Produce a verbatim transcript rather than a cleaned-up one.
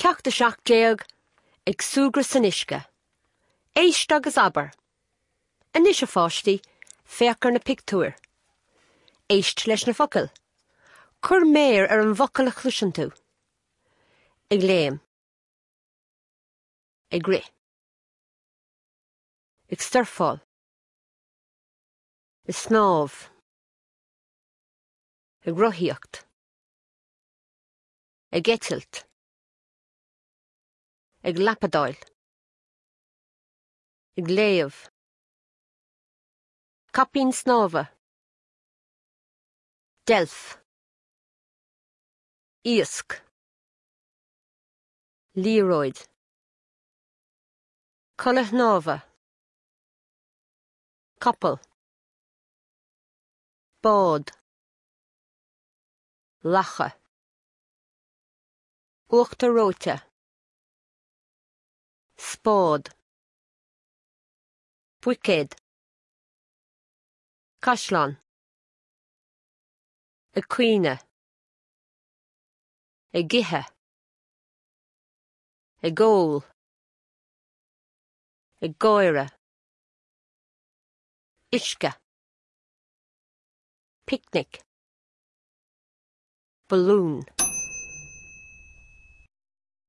Ceacht a seacht déag ag súgradh san uisce. Éist agus abair. Anois a pháistí, féach ar na pictiúir. Éist leis na focail. Cuir méar ar an bhfocal a chloiseann tú. Ag léim. Ag rith. Ag surfáil. Ag snámh. Ag rothaíocht. Ag eitilt. Ag lapadáil. Ag léamh. Caipín snámha. Deilf. Iasc. Liathróid. Culaith shnámha. Capall. Bád. Lacha. Uachtar reoite. Spád. Buicéad. Caisleán. Ag caoineadh. Ag ithe. Ag ól. Ag gáire. Uisce. Picnic. Balún.